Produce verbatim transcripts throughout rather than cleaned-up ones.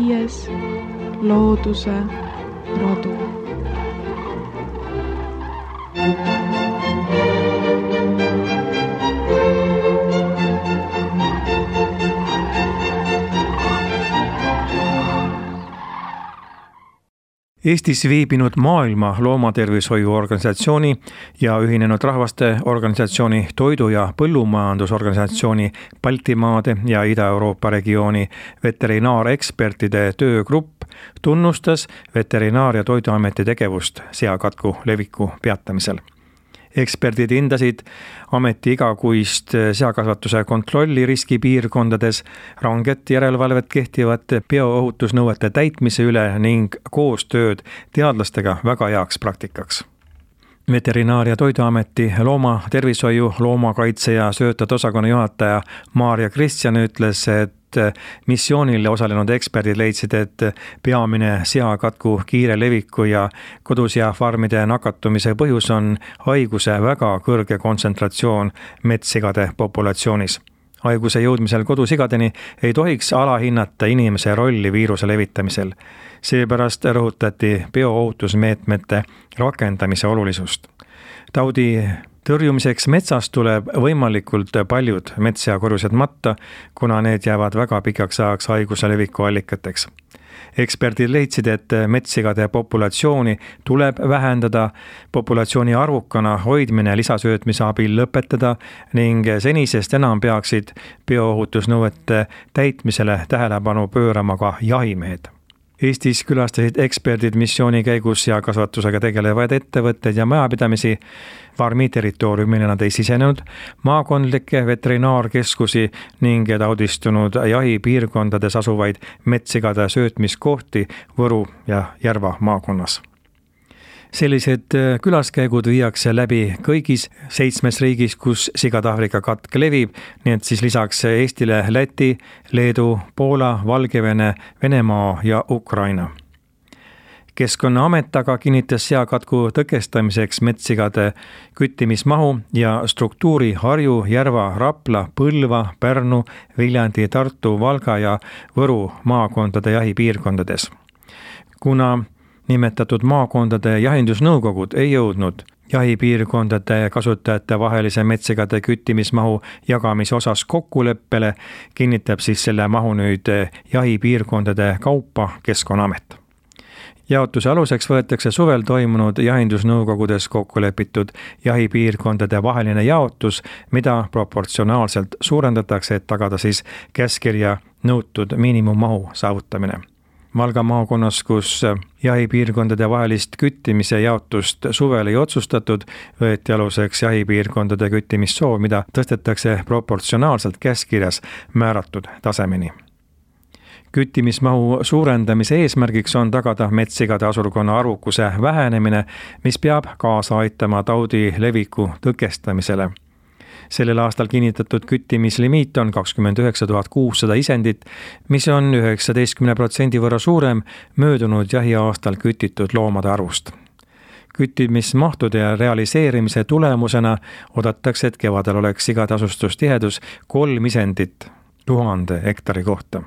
viies looduse rodu. Eestis viibinud Maailma Loomatervishoiuorganisatsiooni ja Ühinenud Rahvaste Organisatsiooni Toidu- ja Põllumajandusorganisatsiooni Baltimaade ja Ida-Euroopa regiooni veterinaarekspertide töögrupp tunnustas Veterinaar- ja Toiduameti tegevust seakatku leviku peatamisel. Eksperdid hindasid ameti igakuist seakasvatuse kontrolli riskipiirkondades, ranget järelevalvet kehtivate bioohutusnõuete täitmise üle ning koostööd teadlastega väga heaks praktikaks. Veterinaar- ja Toiduameti loomatervishoiu, loomakaitse ja söötade osakonna juhataja Maarja Kristjan ütles, et missioonil osalenud eksperdid leidsid, et peamine seakatku kiire leviku ja kodus- ja farmide nakatumise põhjus on haiguse väga kõrge kontsentratsioon metssigade populatsioonis. Haiguse jõudmisel kodusigadeni ei tohiks alahinnata inimese rolli viiruse levitamisel. Seepärast rõhutati bioohutusmeetmete rakendamise olulisust. Taudi tõrjumiseks metsas tuleb võimalikult paljud metsakorjused matta, kuna need jäävad väga pikaks ajaks haiguse leviku allikateks. Eksperdid leidsid, et metssigade populatsiooni tuleb vähendada, populatsiooni arvukana hoidmine lisasöötmise abil lõpetada ning senisest enam peaksid bioohutusnõuete täitmisele tähelepanu pöörama ka jahimehed. Eestis külastasid eksperdid missiooni käigus ja kasvatusega tegelevaid ettevõtteid ja majapidamisi. Farmi territooriumile nad ei sisenenud, maakondlikke veterinaarkeskusi ning taudistunud jahipiirkondades asuvaid metssigade söötmiskohti Võru ja Järva maakonnas. Sellised külaskäigud viiakse läbi kõigis seitsmes riigis, kus sigade-Aafrika katk levib, nii et siis lisaks Eestile Läti, Leedu, Poola, Valgevene, Venemaa ja Ukraina. Keskkonnaamet aga kinnitas seakatku tõkestamiseks metssigade küttimismahu ja struktuuri Harju, Järva, Rapla, Põlva, Pärnu, Viljandi, Tartu, Valga ja Võru maakondade jahipiirkondades. Kuna nimetatud maakondade jahindusnõukogud ei jõudnud jahipiirkondade kasutajate vahelise metssigade küttimismahu jagamise osas kokkuleppele, kinnitab siis selle mahu nüüd jahipiirkondade kaupa Keskkonnaamet. Jaotuse aluseks võetakse suvel toimunud jahindusnõukogudes kokkulepitud jahipiirkondade vaheline jaotus, mida proportsionaalselt suurendatakse, et tagada siis käskkirja nõutud miinimummahu saavutamine. Valga maakonnas, kus jahipiirkondade vahelist küttimise jaotust suvel ei otsustatud, võeti aluseks jahipiirkondade küttimissoov, mida tõstetakse proportsionaalselt käskkirjas määratud tasemeni. Küttimismahu suurendamise eesmärgiks on tagada metssigade asurkonna arvukuse vähenemine, mis peab kaasa aitama taudi leviku tõkestamisele. Sellel aastal kinnitatud küttimislimiit on kakskümmend üheksa tuhat kuussada isendit, mis on üheksateistkümne protsendi võrra suurem möödunud jahiaastal kütitud loomade arvust. Küttimismahtude realiseerimise tulemusena oodatakse, et kevadel oleks sigade asustustihedus kolm isendit tuhande hektari kohta.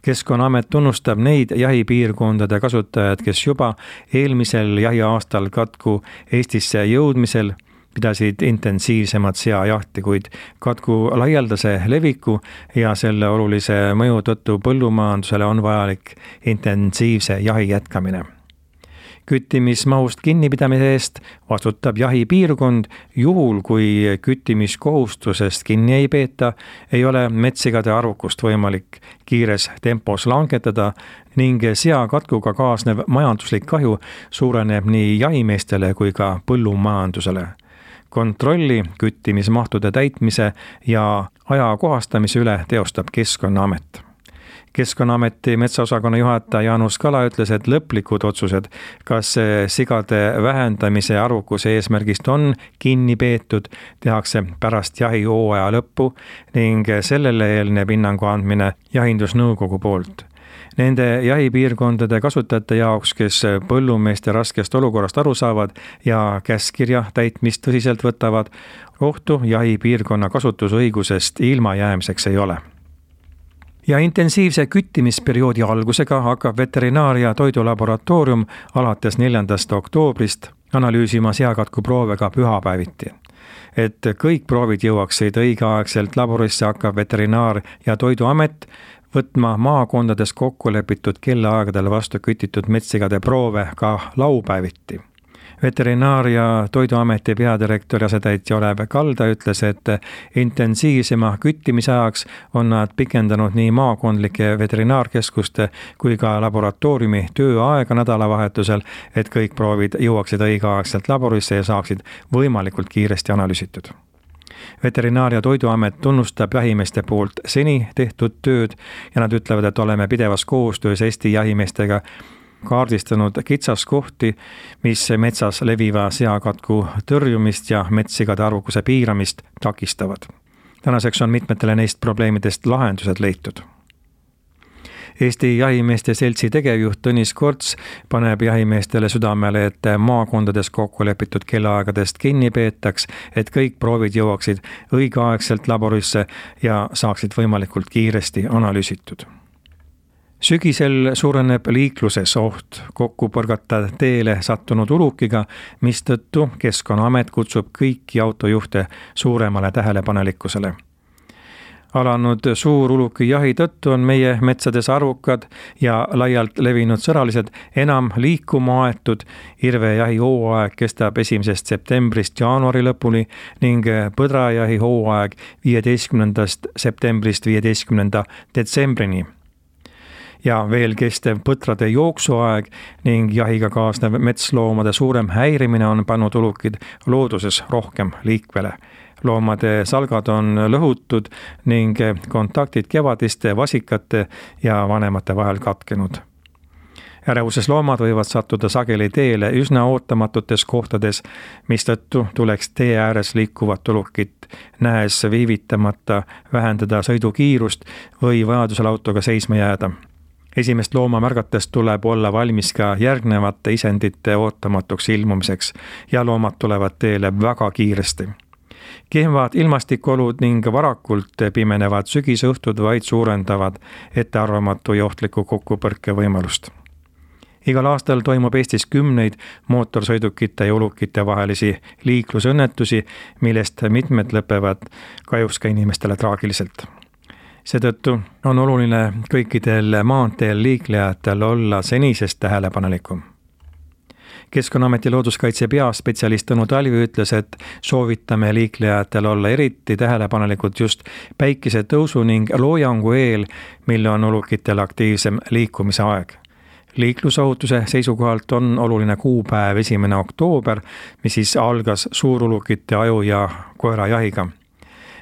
Keskkonnaamet tunnustab neid jahipiirkondade kasutajad, kes juba eelmisel jahiaastal katku Eestisse jõudmisel pidasid intensiivsemat seajahti, kuid katku laialdase leviku ja selle olulise mõju tõttu põllumajandusele on vajalik intensiivse jahi jätkamine. Küttimismahust kinnipidamise eest vastutab jahipiirkond, juhul kui küttimiskohustusest kinni ei peeta, ei ole metssigade arvukust võimalik kiires tempos langetada ning seakatkuga kaasnev majanduslik kahju suureneb nii jahimeestele kui ka põllumajandusele. Kontrolli küttimismahtude täitmise ja ajakohastamise üle teostab Keskkonnaamet. Keskkonnaameti metsaosakonna juhataja Jaanus Kala ütles, et lõplikud otsused, kas sigade vähendamise arvukuse eesmärgist on kinni peetud, tehakse pärast jahihooaja lõppu ning sellele eelneb hinnangu andmine jahindusnõukogu poolt. Nende jahipiirkondade kasutajate jaoks, kes põllumeeste raskest olukorrast aru saavad ja käskkirja täitmist tõsiselt võtavad, ohtu jahipiirkonna kasutusõigusest ilma jäämiseks ei ole. ja intensiivse küttimisperioodi algusega hakkab veterinaaria toidulaboratoorium alates neljandast oktoobrist analüüsima seakatku proove ka pühapäeviti. Et kõik proovid jõuaksid õigeaegselt laborisse, hakkab Veterinaar- ja Toiduamet võtma maakondades kokku lepitud kellaaegadel vastu kütitud metssigade proove ka laupäeviti. Veterinaar- ja Toiduameti peadirektori asetäitja Olev Kalda ütles, et intensiivsema küttimise ajaks on nad pikendanud nii maakondlike veterinaarkeskuste kui ka laboratooriumi tööaega nädalavahetusel, et kõik proovid jõuaksid õigeaegselt laborisse ja saaksid võimalikult kiiresti analüüsitud. Veterinaar- ja Toiduamet tunnustab jahimeeste poolt seni tehtud tööd ja nad ütlevad, et oleme pidevas koostöös Eesti jahimeestega kaardistanud kitsaskohti, mis metsas leviva seakatku tõrjumist ja metssigade arvukuse piiramist takistavad. Tänaseks on mitmetele neist probleemidest lahendused leitud. Eesti jahimeeste seltsi tegevjuht Tõnis Korts paneb jahimeestele südamele, et maakondades kokku lepitud kellaaegadest kinni peetaks, et kõik proovid jõuaksid õigeaegselt laborisse ja saaksid võimalikult kiiresti analüüsitud. Sügisel suureneb liikluses oht kokku põrgata teele sattunud ulukiga, mistõttu Keskkonnaamet kutsub kõiki autojuhte suuremale tähelepanelikkusele. Alanud suuruluki jahi tõttu on meie metsades arvukad ja laialt levinud sõralised enam liikuma aetud. Irvejahi hooaeg kestab esimesest septembrist jaanuari lõpuni ning põdrajahi hooaeg viieteistkümnendast septembrist viieteistkümnenda detsembrini. Ja veel kestev põtrade jooksuaeg ning jahiga kaasnev metsloomade suurem häirimine on pannud ulukid looduses rohkem liikvele. Loomade salgad on lõhutud ning kontaktid kevadiste vasikate ja vanemate vahel katkenud. Ärevuses loomad võivad sattuda sageli teele üsna ootamatutes kohtades, mistõttu tuleks tee ääres liikuvat ulukit nähes viivitamata vähendada sõidukiirust või vajadusel autoga seisma jääda. Esimest looma märgates tuleb olla valmis ka järgnevate isendite ootamatuks ilmumiseks ja loomad tulevad teele väga kiiresti. Kehvad ilmastikolud ning varakult pimenevad sügisõhtud vaid suurendavad ettearvamatu ja ohtliku kokkupõrke võimalust. Igal aastal toimub Eestis kümneid mootorsõidukite ja ulukite vahelisi liiklusõnnetusi, millest mitmed lõpevad kahjuks ka inimestele traagiliselt. Seetõttu on oluline kõikidel maanteel liiklejatel olla senisest tähelepanelikum. Keskkonnaameti looduskaitse peaspetsialist Tõnu Talvi ütles, et soovitame liiklejatel olla eriti tähelepanelikud just päikese tõusu ning loojangu eel, mille on ulukitel aktiivsem liikumise aeg. Liiklusohutuse seisukohalt on oluline kuupäev esimene oktoober, mis siis algas suurulukite aju ja koerajahiga.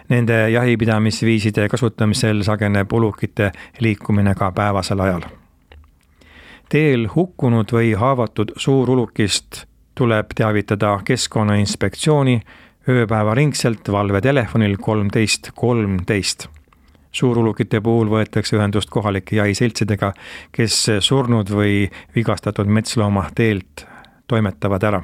Nende jahipidamisviiside kasutamisel sageneb ulukite liikumine ka päevasel ajal. Teel hukkunud või haavatud suurulukist tuleb teavitada Keskkonnainspektsiooni ööpäevaringselt valvetelefonil kolmteist kolmteist. Suurulukite puhul võetakse ühendust kohalike jahiseltsidega, kes surnud või vigastatud metslooma teelt toimetavad ära.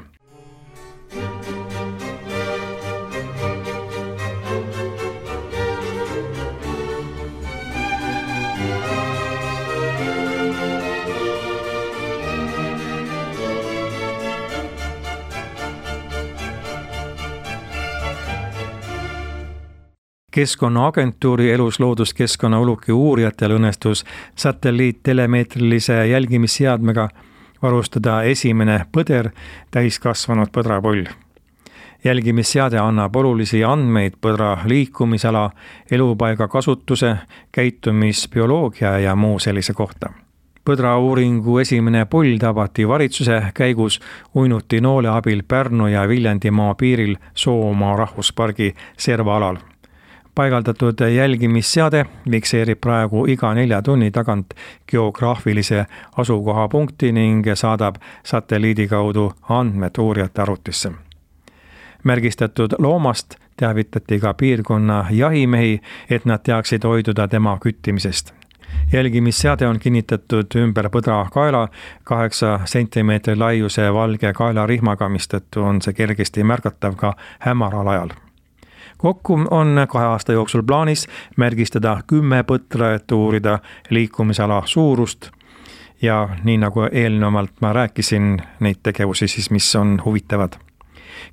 Keskkonnaagentuuri eluslooduskeskkonna uluki uurijatel õnnestus satelliittelemeetrilise jälgimisseadmega varustada esimene põder täiskasvanud põdrapoll. Jälgimisseade annab olulisi andmeid põdra liikumisala, elupaiga kasutuse, käitumisbioloogia ja muu sellise kohta. Põdra uuringu esimene poll tabati varitsuse käigus uinuti noole abil Pärnu ja Viljandimaa piiril Soomaa rahvuspargi servaalal. Paigaldatud jälgimisseade fikseerib praegu iga nelja tunni tagant geograafilise asukohapunkti ning saadab satelliidi kaudu andmed uurijate arvutisse. Märgistatud loomast teavitati ka piirkonna jahimehi, et nad teaksid hoiduda tema küttimisest. Jälgimisseade on kinnitatud ümber põdra kaela kaheksa sentimeetri laiuse valge kaelarihmaga, mistõttu on see kergesti märgatav ka hämaral ajal. Kokku on kahe aasta jooksul plaanis märgistada kümme põtra, et uurida liikumisala suurust ja nii nagu eelnevalt ma rääkisin neid tegevusi siis, mis on huvitavad.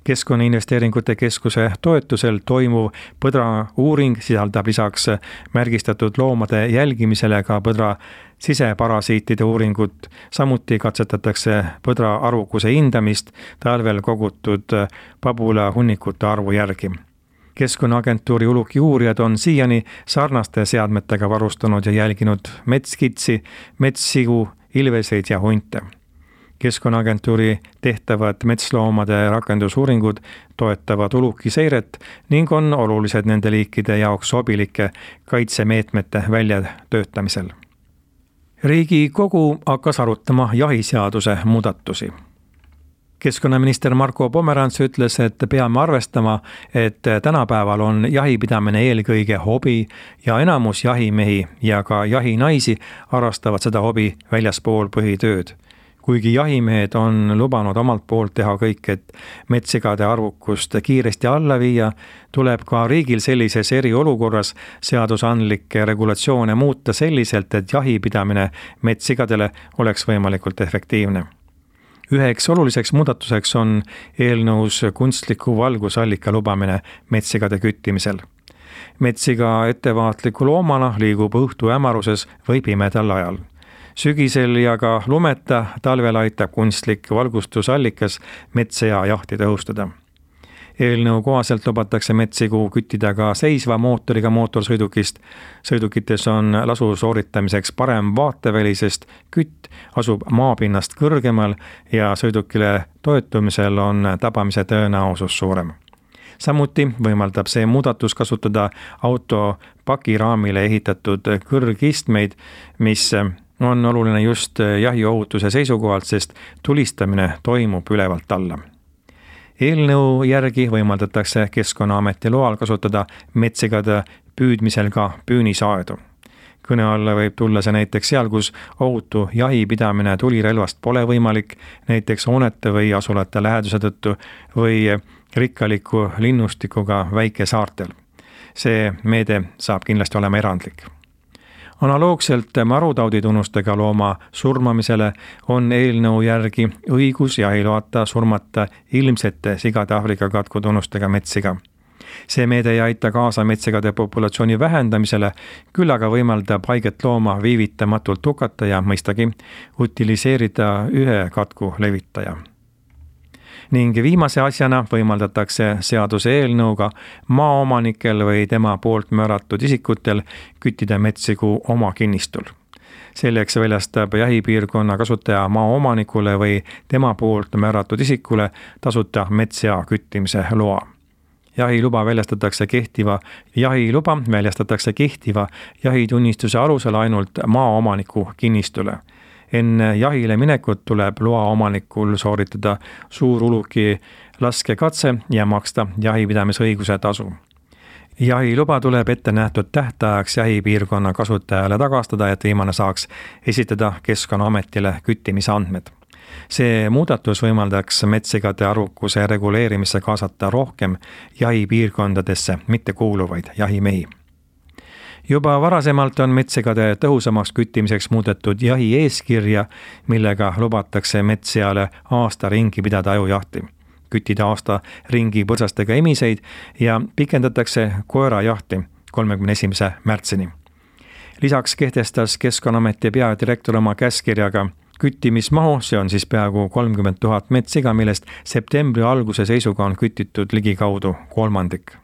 Keskkonnainvesteeringute keskuse toetusel toimuv põdra uuring sisaldab lisaks märgistatud loomade jälgimisele ka põdra siseparasiitide uuringut. Samuti katsetatakse põdra arvukuse hindamist talvel kogutud pabula hunnikute arvu järgi. Keskkonnaagentuuri uluki uurijad on siiani sarnaste seadmetega varustanud ja jälginud metskitsi, metssigu, ilveseid ja hunte. Keskkonnaagentuuri tehtavad metsloomade rakendusuuringud toetavad uluki seiret ning on olulised nende liikide jaoks sobilike kaitsemeetmete väljatöötamisel. Riigikogu hakkas arutama jahiseaduse muudatusi. Keskkonnaminister Marko Pomerants ütles, et peame arvestama, et tänapäeval on jahipidamine eelkõige hobi ja enamus jahimehi ja ka jahinaisi harrastavad seda hobi väljaspool põhitööd. Kuigi jahimehed on lubanud omalt poolt teha kõik, et metssigade arvukust kiiresti alla viia, tuleb ka riigil sellises eriolukorras seadusandlikke regulatsioone muuta selliselt, et jahipidamine metssigadele oleks võimalikult efektiivne. Üheks oluliseks muudatuseks on eelnõus kunstliku valgusallika lubamine metssigade küttimisel. Metssiga ettevaatliku loomana liigub õhtu hämaruses või pimedal ajal. Sügisel ja ka lumeta talvel aitab kunstlik valgustusallikas metsa ja jahti tõhustada. Eelnõu kohaselt lubatakse metssigu küttida ka seisva mootoriga mootorsõidukist. Sõidukites on lasu sooritamiseks parem vaateväli, sest kütt asub maapinnast kõrgemal ja sõidukile toetumisel on tabamise tõenäosus suurem. Samuti võimaldab see muudatus kasutada auto pakiraamile ehitatud kõrgistmeid, mis on oluline just jahiohutuse seisukohalt, sest tulistamine toimub ülevalt alla. Eelnõu järgi võimaldatakse Keskkonnaameti loal kasutada metsigade püüdmisel ka püünisaedu. Kõne alla võib tulla see näiteks seal, kus ohutu jahipidamine tulirelvast pole võimalik, näiteks hoonete või asulate läheduse tõttu või rikkaliku linnustikuga väikesaartel. See meede saab kindlasti olema erandlik. Analoogselt marutauditunnustega looma surmamisele on eelnõu järgi õigus jahiloata surmata ilmsete sigade Aafrika katkutunnustega metssiga. See meede ei aita kaasa metsigade populatsiooni vähendamisele, küll aga võimaldab haiget looma viivitamatult hukata ja mõistagi utiliseerida ühe katku levitaja. Ning viimase asjana võimaldatakse seaduse eelnõuga maaomanikel või tema poolt määratud isikutel küttida metssigu oma kinnistul. Selleks väljastab jahipiirkonna kasutaja maaomanikule või tema poolt määratud isikule tasuta metssea küttimise loa. Jahiluba väljastatakse kehtiva, jahiluba väljastatakse kehtiva jahitunnistuse alusel ainult maaomaniku kinnistule. Enne jahile minekut tuleb loa omanikul sooritada suur uluki laskekatse ja maksta jahipidamisõiguse tasu. Jahiluba tuleb ette nähtud tähtajaks jahipiirkonna kasutajale tagastada, et viimane saaks esitada Keskkonnaametile küttimisandmed. See muudatus võimaldaks metssigade arvukuse reguleerimisse kaasata rohkem jahipiirkondadesse mitte kuuluvaid jahimehi. Juba varasemalt on metsigade tõhusamaks küttimiseks muudetud jahi eeskirja, millega lubatakse metsseale aasta ringi pidada ajujahti, küttida aasta ringi põrsastega emiseid ja pikendatakse koerajahti kolmekümne esimese märtsini. Lisaks kehtestas Keskkonnaameti peadirektor oma käskkirjaga küttimismahu, see on siis peaaegu kolmkümmend tuhat metssiga, millest septembri alguse seisuga on kütitud ligikaudu kolmandik.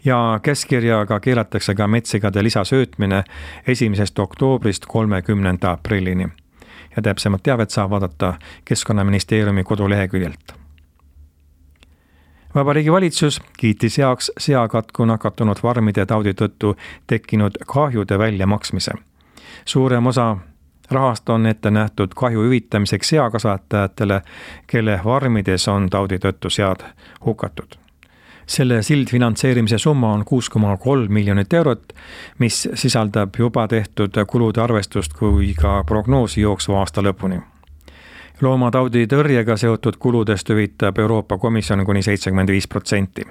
Ja käskkirjaga keelatakse ka metsigade lisasöötmine esimesest oktoobrist kolmekümnenda aprillini. Ja täpsemat teavet saab vaadata Keskkonnaministeeriumi koduleheküljelt. Vabariigi valitsus kiitis heaks seakatku nakatunud varmide taudi tõttu tekkinud kahjude väljamaksmise. Suurem osa rahast on ette nähtud kahju hüvitamiseks seakasvatajatele, kelle varmides on taudi tõttu sead hukatud. Selle sildfinantseerimise summa on kuus koma kolm miljonit eurot, mis sisaldab juba tehtud kulude arvestust kui ka prognoosi jooksva aasta lõpuni. Loomataudi tõrjega seotud kuludest hüvitab Euroopa Komisjon kuni seitsekümmend viis protsenti.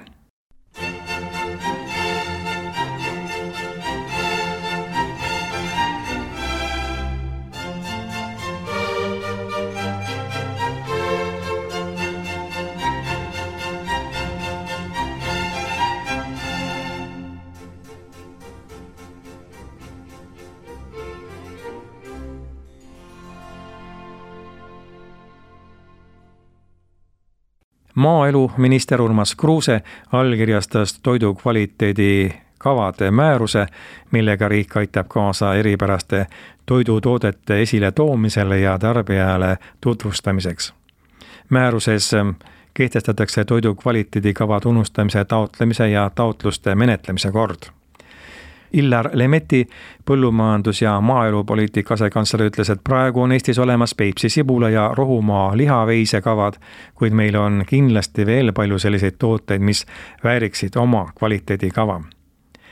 maaeluminister Urmas Kruuse allkirjastas toidu kvaliteedi kavade määruse, millega riik aitab kaasa eripäraste toidutoodete esile toomisele ja tarbijale tutvustamiseks. Määruses kehtestatakse toidu kvaliteedikava tunnustamise taotlemise ja taotluste menetlemise kord. Illar Lemetti, põllumajandus- ja maaelupoliitika asekantsler, ütles, et praegu on Eestis olemas Peipsi sibula ja Rohumaa lihaveise kavad, kuid meil on kindlasti veel palju selliseid tooteid, mis vääriksid oma kvaliteedikava.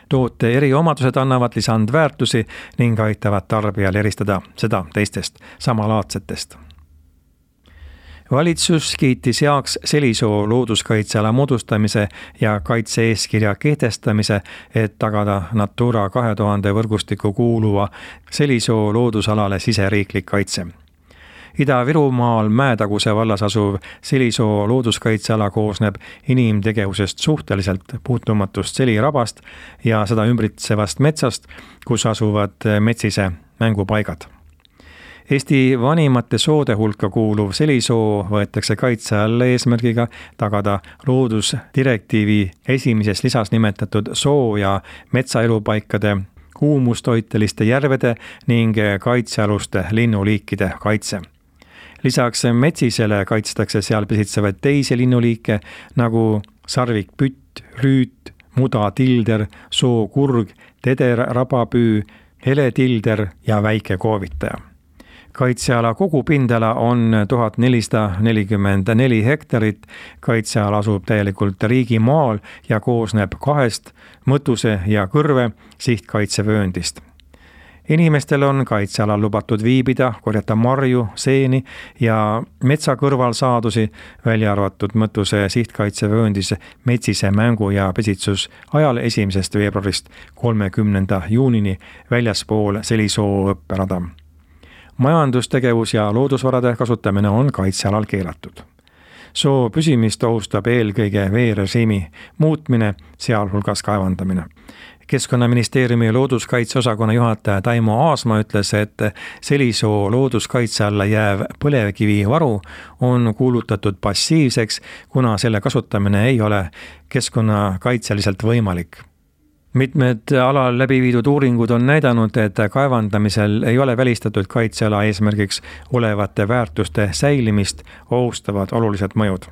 Toote eriomadused annavad lisandväärtusi ning aitavad tarbijal eristada seda teistest samalaadsetest. Valitsus kiitis heaks Selisoo looduskaitseala moodustamise ja kaitse-eeskirja kehtestamise, et tagada Natura kahe tuhande võrgustikku kuuluva Selisoo loodusalale siseriiklik kaitse. Ida-Virumaal Mäetaguse vallas asuv Selisoo looduskaitseala koosneb inimtegevusest suhteliselt puutumatust selirabast ja seda ümbritsevast metsast, kus asuvad metsise mängupaigad. Eesti vanimate soode hulka kuuluv Selisoo võetakse kaitse alla eesmärgiga tagada loodusdirektiivi esimeses lisas nimetatud soo- ja metsaelupaikade, kuumustoiteliste järvede ning kaitsealuste linnuliikide kaitse. Lisaks metsisele kaitstakse seal pesitsevaid teisi linnuliike nagu sarvikpütt, rüüt, mudatilder, sookurg, teder, rabapüü, heletilder ja väike koovitaja. Kaitseala kogupindala on tuhat nelisada nelikümmend neli hektarit, kaitseala asub täielikult riigimaal ja koosneb kahest mõtuse ja kõrve sihtkaitsevööndist. Inimestel on kaitsealal lubatud viibida, korjata marju, seeni ja metsa kõrval saadusi, välja arvatud mõtuse sihtkaitsevööndis metsise mängu ja pesitsus ajal esimesest veebruarist kolmekümnenda juunini väljaspool Selisoo õpperada. Majandustegevus ja loodusvarade kasutamine on kaitsealal keelatud. Soo püsimist ohustab eelkõige veerežiimi muutmine, sealhulgas kaevandamine. Keskkonnaministeeriumi looduskaitseosakonna juhataja Taimo Aasma ütles, et Selisoo looduskaitse alla jääv põlevkivivaru on kuulutatud passiivseks, kuna selle kasutamine ei ole keskkonnakaitseliselt võimalik. Mitmed alal läbi viidud uuringud on näidanud, et kaevandamisel ei ole välistatud kaitseala eesmärgiks olevate väärtuste säilimist ohustavad olulised mõjud.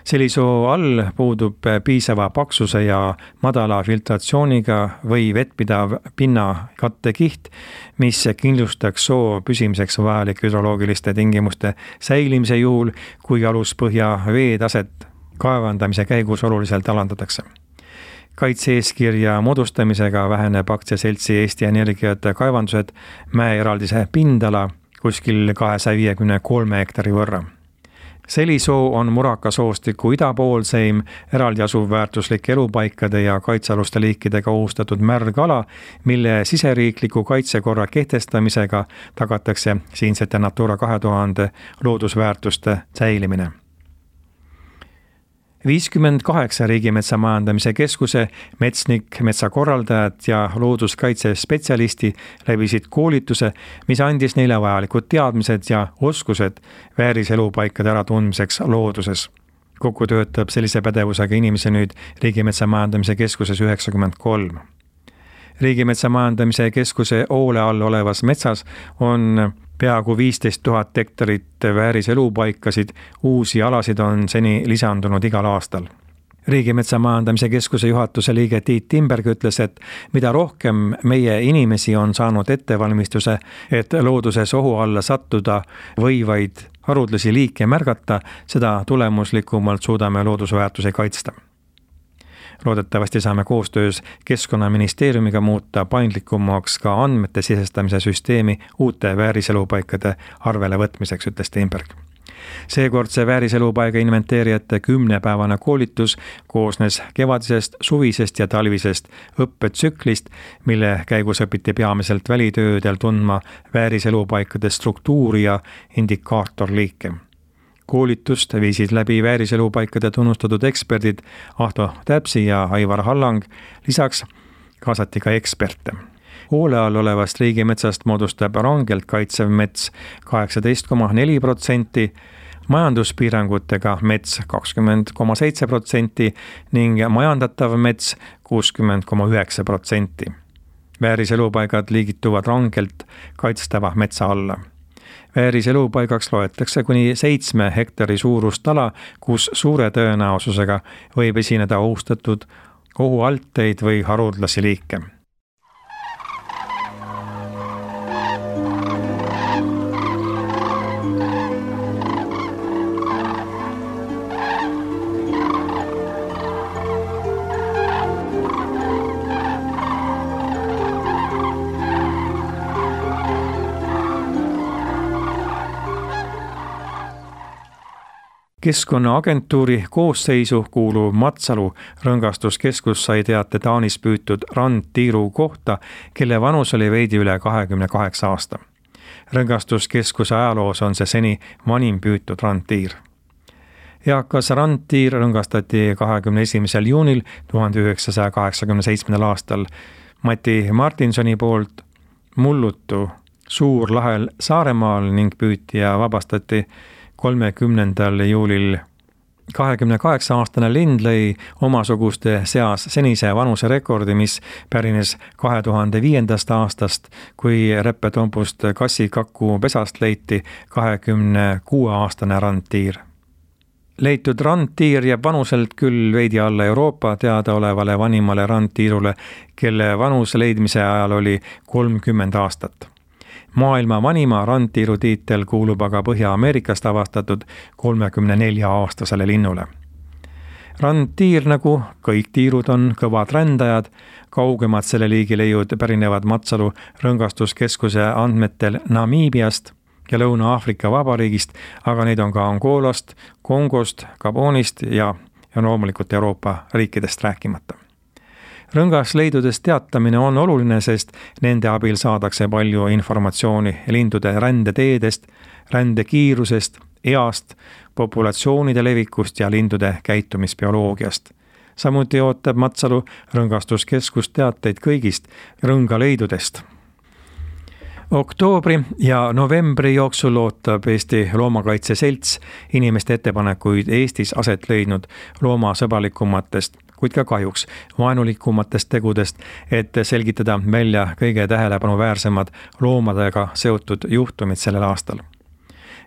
Selisoo all puudub piisava paksuse ja madala filtratsiooniga või vettpidav pinnakattekiht, mis kindlustaks soo püsimiseks vajalik hüdroloogiliste tingimuste säilimise juhul, kui aluspõhja veetaset kaevandamise käigus oluliselt alandatakse. Kaitse-eeskirja moodustamisega väheneb aktsiaseltsi Eesti Energiat kaevandused mäeeraldise pindala kuskil kahesaja viiekümne kolme hektari võrra. Selisoo on Muraka soostiku idapoolseim eraldi asuv väärtuslik elupaikade ja kaitsealuste liikidega ohustatud märgala, mille siseriikliku kaitsekorra kehtestamisega tagatakse siinsete Natura kahe tuhande loodusväärtuste säilimine. viiskümmend kaheksa Riigimetsa Majandamise Keskuse metsnik, metsakorraldajad ja looduskaitsespetsialisti läbisid koolituse, mis andis neile vajalikud teadmised ja oskused vääriselupaikade äratundmiseks looduses. Kokku töötab sellise pädevusega inimesi nüüd Riigimetsa Majandamise Keskuses üheksakümmend kolm. Riigimetsa Majandamise Keskuse hoole all olevas metsas on peaaegu viisteist tuhat hektarit vääriselupaikasid, uusi alasid on seni lisandunud igal aastal. Riigimetsa Majandamise Keskuse juhatuse liige Tiit Timberg ütles, et mida rohkem meie inimesi on saanud ettevalmistuse, et looduses ohu alla sattuda võivaid haruldasi liike märgata, seda tulemuslikumalt suudame loodusväärtusi kaitsta. Loodetavasti saame koostöös Keskkonnaministeeriumiga muuta paindlikumaks ka andmete sisestamise süsteemi uute vääriselupaikade arvele võtmiseks, ütles Timberg. Seekordse vääriselupaiga inventeerijate kümnepäevane koolitus koosnes kevadisest, suvisest ja talvisest õppetsüklist, mille käigus õpiti peamiselt välitöödel tundma vääriselupaikade struktuuri ja indikaatorliike. Koolitust viisid läbi vääriselupaikade tunnustatud eksperdid Ahto Täpsi ja Aivar Hallang, lisaks kaasati ka eksperte. Hoole all olevast riigimetsast moodustab rangelt kaitsev mets kaheksateist koma neli protsenti, majanduspiirangutega mets kakskümmend koma seitse protsenti ning majandatav mets kuuskümmend koma üheksa protsenti. Vääriselupaigad liigituvad rangelt kaitstava metsa alla. Vääriselupaigaks loetakse kuni seitsme hektari suurust ala, kus suure tõenäosusega võib esineda ohustatud ohualteid või haruldasi liike. Keskkonnaagentuuri koosseisu kuuluv Matsalu rõngastuskeskus sai teate Taanis püütud randtiiru kohta, kelle vanus oli veidi üle kahekümne kaheksa aasta. Rõngastuskeskuse ajaloos on see seni vanim püütud randtiir. Eakas randtiir rõngastati kahekümne esimesel juunil tuhande üheksasaja kaheksakümne seitsmendal aastal Mati Martinsoni poolt Mullutu Suurlahel Saaremaal ning püüti ja vabastati kolmekümnendal juulil. kahekümne kaheksa aastane lind lõi omasuguste seas senise vanuse rekordi, mis pärines kahe tuhande viiendast aastast, kui Reppetompust kassikaku pesast leiti kahekümne kuue aastane randtiir. Leitud randtiir jääb vanuselt küll veidi alla Euroopa teadaolevale vanimale randtiirule, kelle vanus leidmise ajal oli kolmkümmend aastat. Maailma vanima randtiiru tiitel kuulub aga Põhja-Ameerikast avastatud kolmekümne nelja aastasele linnule. Randtiir, nagu kõik tiirud, on kõvad rändajad, kaugemad selle liigi leiud pärinevad Matsalu rõngastuskeskuse andmetel Namiibiast ja Lõuna-Aafrika Vabariigist, aga neid on ka Angolast, Kongost, Gabonist ja, ja loomulikult Euroopa riikidest rääkimata. Rõngasleidudest teatamine on oluline, sest nende abil saadakse palju informatsiooni lindude rändeteedest, rändekiirusest, east, populatsioonide levikust ja lindude käitumisbioloogiast. Samuti ootab Matsalu rõngastuskeskus teateid kõigist rõngaleidudest. Oktoobri ja novembri jooksul ootab Eesti Loomakaitse Selts inimeste ettepanekuid Eestis aset leidnud loomasõbralikumatest, kuid ka kahjuks vaenulikumatest tegudest, et selgitada välja kõige tähelepanuväärsemad loomadega seotud juhtumid sellel aastal.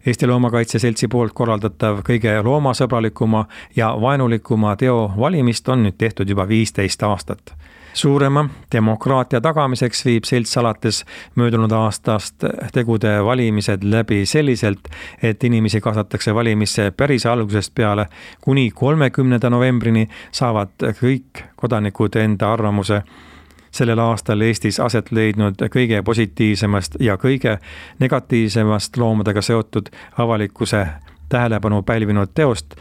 Eesti Loomakaitse Seltsi poolt korraldatav kõige loomasõbralikuma ja vaenulikuma teo valimist on nüüd tehtud juba viisteist aastat. Suurema demokraatia tagamiseks viib selts alates möödunud aastast tegude valimised läbi selliselt, et inimesi kaasatakse valimisse päris algusest peale kuni kolmekümnenda novembrini saavad kõik kodanikud enda arvamuse sellel aastal Eestis aset leidnud kõige positiivsemast ja kõige negatiivsemast loomadega seotud avalikkuse tähelepanu pälvinud teost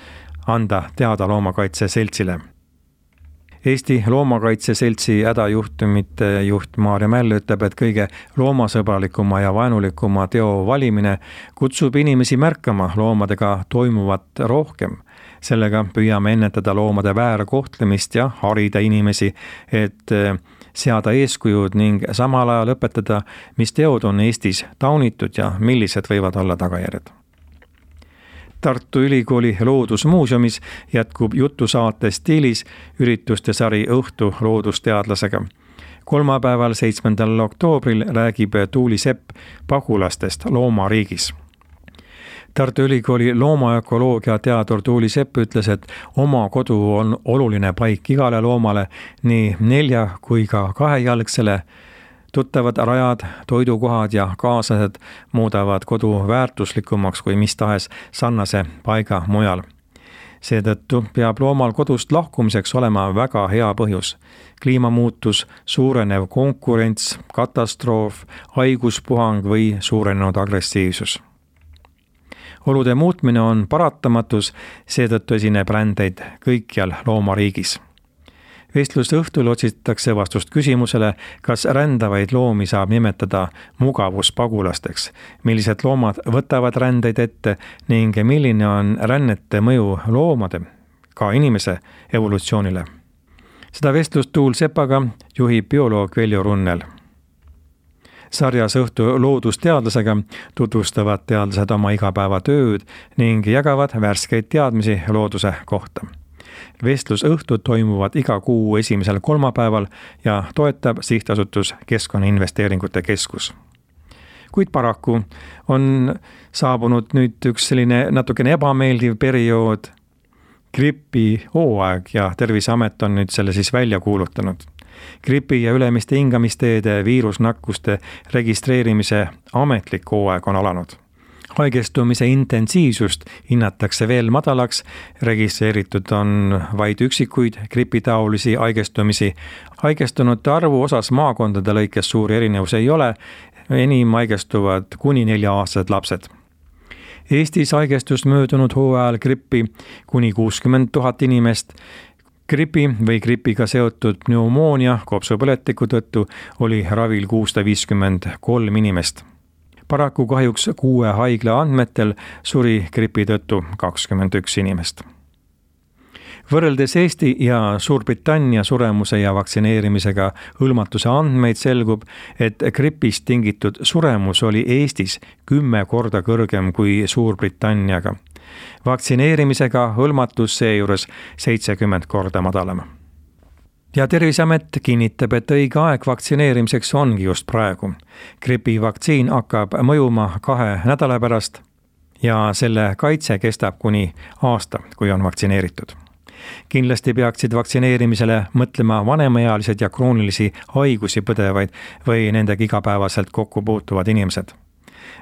anda teada Loomakaitse Seltsile. Eesti Loomakaitse Seltsi hädajuhtumite juht Maarja Mäll ütleb, et kõige loomasõbralikuma ja vaenulikuma teo valimine kutsub inimesi märkama loomadega toimuvat rohkem. Sellega püüame ennetada loomade väärkohtlemist ja harida inimesi, et seada eeskujud ning samal ajal õpetada, mis teod on Eestis taunitud ja millised võivad olla tagajärjed. Tartu Ülikooli Loodusmuuseumis jätkub jutusaate stiilis ürituste sari Õhtu loodusteadlasega. Kolmapäeval, seitsmendal oktoobril räägib Tuuli Sepp pagulastest loomariigis. Tartu Ülikooli loomaökoloogia teadur Tuuli Sepp ütles, et oma kodu on oluline paik igale loomale, nii nelja kui ka kahejalgsele. Tuttavad rajad, toidukohad ja kaaslased muudavad kodu väärtuslikumaks kui mis tahes sarnase paiga mujal. Seetõttu peab loomal kodust lahkumiseks olema väga hea põhjus. Kliimamuutus, suurenev konkurents, katastroof, haiguspuhang või suurenenud agressiivsus. Olude muutmine on paratamatus, seetõttu esineb rändeid kõikjal loomariigis. Vestluste õhtul otsitakse vastust küsimusele, kas rändavaid loomi saab nimetada mugavuspagulasteks, millised loomad võtavad rändeid ette ning milline on rännete mõju loomade, ka inimese evolutsioonile. Seda vestlust Tuul Sepaga juhib bioloog Veljo Runnel. sarjas Õhtu loodusteadlasega tutvustavad teadlased oma igapäevatööd ning jagavad värskeid teadmisi looduse kohta. Vestlusõhtud toimuvad iga kuu esimesel kolmapäeval ja toetab sihtasutus Keskkonnainvesteeringute Keskus. Kuid paraku on saabunud nüüd üks selline natukene ebameeldiv periood, gripi hooaeg ja Terviseamet on nüüd selle siis välja kuulutanud. Gripi ja ülemiste hingamisteede viirusnakkuste registreerimise ametlik hooaeg on alanud. Haigestumise intensiivsust hinnatakse veel madalaks, registreeritud on vaid üksikuid gripitaolisi haigestumisi. Haigestunute arvu osas maakondade lõikes suuri erinevus ei ole, enim haigestuvad kuni nelja-aastased lapsed. Eestis haigestus möödunud hooajal grippi kuni kuuskümmend tuhat inimest. Gripi või gripiga seotud pneumoonia kopsupõletiku tõttu oli ravil kuussada viiskümmend kolm inimest. Paraku kahjuks kuue haigla andmetel suri gripi tõttu kakskümmend üks inimest. Võrreldes Eesti ja Suurbritannia suremuse ja vaktsineerimisega hõlmatuse andmeid selgub, et gripist tingitud suremus oli Eestis kümme korda kõrgem kui Suurbritanniaga. Vaktsineerimisega hõlmatus seejuures seitsekümmend korda madalam. Ja Terviseamet kinnitab, et õige aeg vaktsineerimiseks ongi just praegu. Gripivaktsiin hakkab mõjuma kahe nädala pärast ja selle kaitse kestab kuni aasta, kui on vaktsineeritud. Kindlasti peaksid vaktsineerimisele mõtlema vanemaealised ja kroonilisi haigusi põdevaid või nendega igapäevaselt kokku puutuvad inimesed.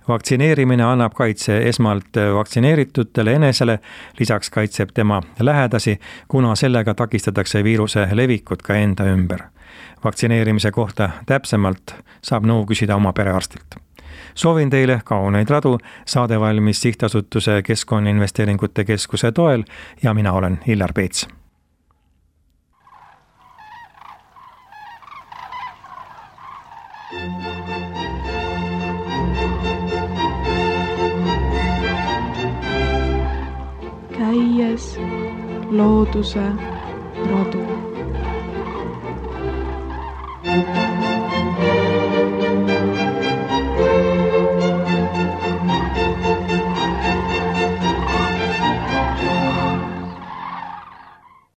Vaktsineerimine annab kaitse esmalt vaktsineeritutele enesele, lisaks kaitseb tema lähedasi, kuna sellega takistatakse viiruse levikut ka enda ümber. Vaktsineerimise kohta täpsemalt saab nõu küsida oma perearstilt. Soovin teile kauneid radu, saade valmis sihtasutuse Keskkonnainvesteeringute Keskuse toel ja mina olen Illar Peets. Käies looduse radu.